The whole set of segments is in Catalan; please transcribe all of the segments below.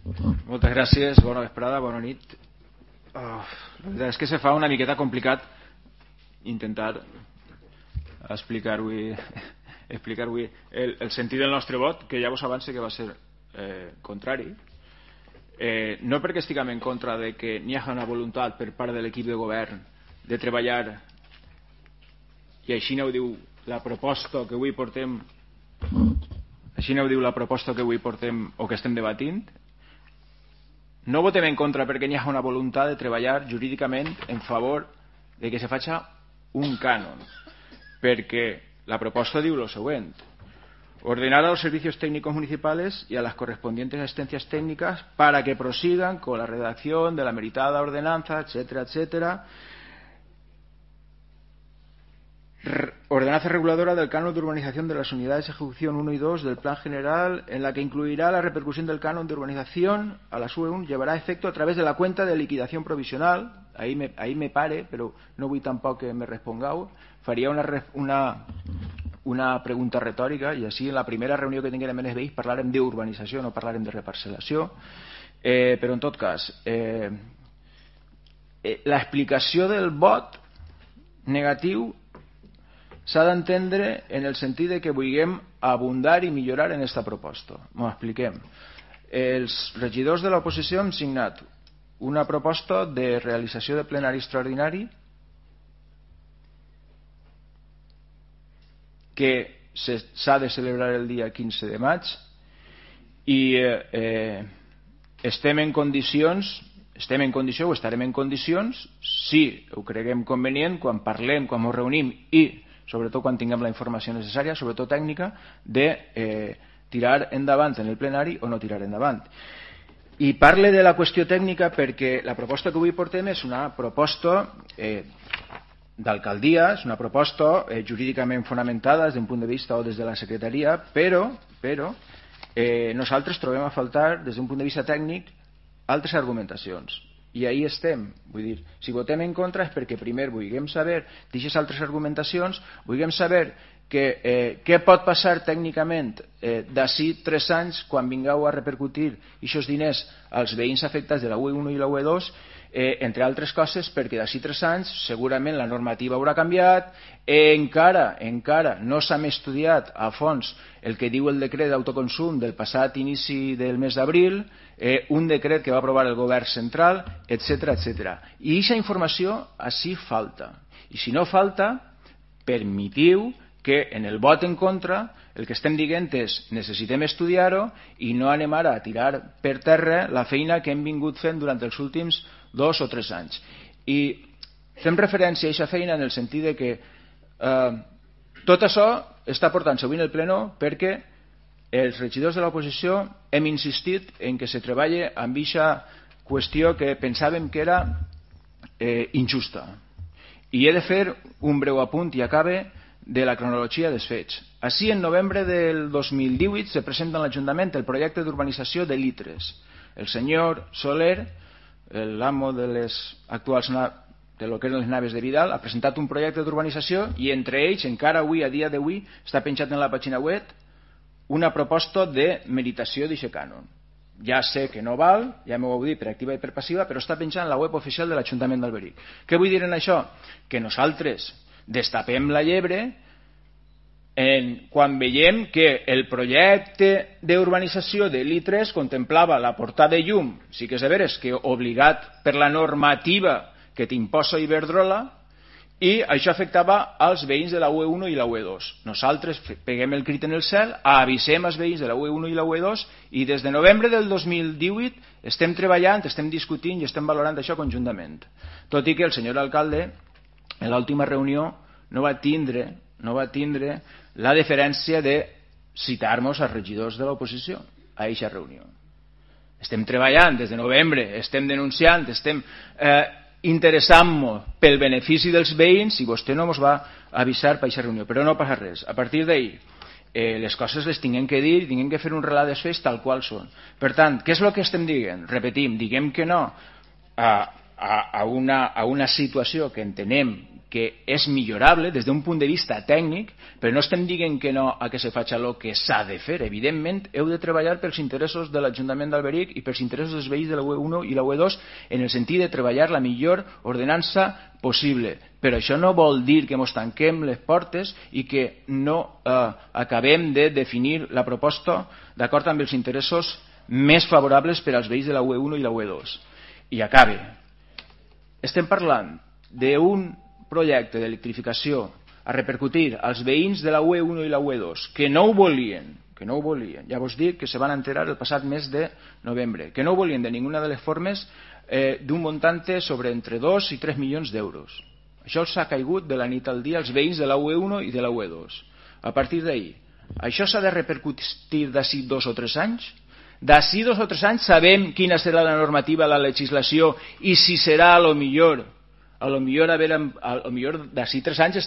Moltes gràcies, bona vesprada, bona nit. La veritat és que se fa una miqueta complicat intentar explicar-ho el sentit del nostre vot, que ja vos avance que va ser contrari, no perquè estiguem en contra de que n'hi hagi una voluntat per part de l'equip de govern de treballar, i així no ho diu la proposta que avui portem, o que estem debatint. No votem en contra perquè n'hi ha una voluntat de treballar jurídicament en favor de que se faci un cànon, perquè la proposta diu lo següent: ordenar a los servicios técnicos municipales y a las correspondientes asistencias técnicas para que prosigan con la redacción de la meritada ordenanza, etcétera, etcétera. Ordenanza reguladora del canon de urbanización de las unidades de ejecución 1 y 2 del plan general, en la que incluirá la repercusión del canon de urbanización a la UE1, llevará efecto a través de la cuenta de liquidación provisional. Ahí me pare, però no vull tampoc que me respongueu. Faria una pregunta retòrica, i així en la primera reunió que tinguem en els veïns parlarem d'urbanització, no parlarem de reparcel·lació. Però en tot cas, l'explicació del vot negatiu s'ha d'entendre en el sentit de que vulguem abundar i millorar en aquesta proposta. M'ho expliquem. Els regidors de l'oposició hem signat una proposta de realització de plenari extraordinari que s'ha de celebrar el dia 15 de maig i estem en condicions o estarem en condicions, si ho creguem convenient, quan parlem, quan ens reunim i sobretot quan tinguem la informació necessària, sobretot tècnica, de tirar endavant en el plenari o no tirar endavant. I parle de la qüestió tècnica perquè la proposta que avui portem és una proposta d'alcaldia, és una proposta jurídicament fonamentada des d'un punt de vista o des de la secretaria, però nosaltres trobem a faltar des d'un punt de vista tècnic altres argumentacions. I ahí estem, vull dir, si votem en contra és perquè primer vulguem saber d'aquestes altres argumentacions, vulguem saber què pot passar tècnicament d'ací 3 anys quan vingueu a repercutir aquests diners als veïns afectats de la UE1 i la UE2, entre altres coses perquè d'ací 3 anys segurament la normativa haurà canviat, encara no s'ha estudiat a fons el que diu el decret d'autoconsum del passat inici del mes d'abril, un decret que va aprovar el govern central, etc. I aquesta informació així falta. I si no falta, permetiu que en el vot en contra el que estem dient és necessitem estudiar-ho i no anem ara a tirar per terra la feina que hem vingut fent durant els últims 2 o 3 anys. I fem referència a aquesta feina en el sentit de que tot això està portant-se avui en el pleno perquè els regidors de l'oposició hem insistit en que se treballi amb aquesta qüestió que pensàvem que era injusta. I he de fer un breu apunt i acabe de la cronologia dels fets. Així, en novembre del 2018 se presenta a l'Ajuntament el projecte d'urbanització de Litres. El senyor Soler, l'amo de les actuals de lo que eren les naves de Vidal, ha presentat un projecte d'urbanització i entre ells, encara avui, a dia d'avui, està penjat en la pàgina web una proposta de meritació d'aquest cànon. Ja sé que no val, ja m'ho heu dit per activa i per passiva, però està penjat en la web oficial de l'Ajuntament d'Alberic. Què vull dir en això? Que nosaltres destapem la llebre quan veiem que el projecte d'urbanització de l'I3 contemplava la portada de llum, sí que és de veres que obligat per la normativa que t'imposa Iberdrola, i això afectava als veïns de la UE1 i la UE2. Nosaltres peguem el crit en el cel, avisem els veïns de la UE1 i la UE2 i des de novembre del 2018 estem treballant, estem discutint i estem valorant això conjuntament. Tot i que el senyor alcalde en l'última reunió no va tindre la deferència de citar-nos als regidors de l'oposició a aquesta reunió. Estem treballant des de novembre, estem denunciant, estem interessant-nos pel benefici dels veïns i vostè no ens va avisar per aquesta reunió, però no passa res. A partir d'ahir les coses les tinguem que dir, tinguem que fer un relat dels fets tal qual són. Per tant, què és el que estem dient? Repetim, diguem que no a una situació que entenem que és millorable des d'un punt de vista tècnic, però no estem dient que no a que se faci el que s'ha de fer. Evidentment, heu de treballar pels interessos de l'Ajuntament d'Alberic i pels interessos dels veïns de la UE1 i la UE2 en el sentit de treballar la millor ordenança possible. Però això no vol dir que ens tanquem les portes i que no acabem de definir la proposta d'acord amb els interessos més favorables per als veïns de la UE1 i la UE2. I acabe. Estem parlant d'un projecte d'electrificació a repercutir als veïns de la UE1 i la UE2 que no ho volien, ja vos dic que se van enterar el passat mes de novembre, que no ho volien de ninguna de les formes, d'un montante sobre entre 2 i 3 milions d'euros. Això els ha caigut de la nit al dia als veïns de la UE1 i de la UE2. A partir d'ahir, això s'ha de repercutir d'ací 2 o 3 anys? D'ací 2 o 3 anys sabem quina serà la normativa, la legislació, i si serà a lo millor d'ací 3 anys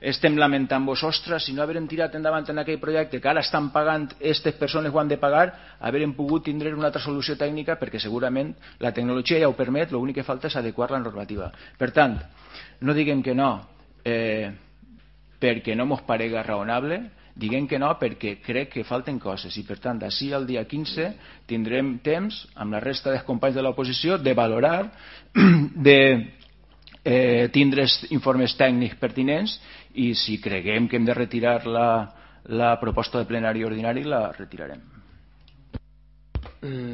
estem lamentant-vos, ostres, si no haverem tirat endavant en aquell projecte que ara estan pagant, aquestes persones ho han de pagar, haverem pogut tindre una altra solució tècnica, perquè segurament la tecnologia ja ho permet, l'únic que falta és adequar la normativa. Per tant, no diguem que no perquè no mos parega raonable, diguem que no perquè crec que falten coses, i per tant d'ací al dia 15 tindrem temps amb la resta dels companys de l'oposició de valorar, de tindre informes tècnics pertinents, i si creguem que hem de retirar la proposta de plenari ordinari la retirarem.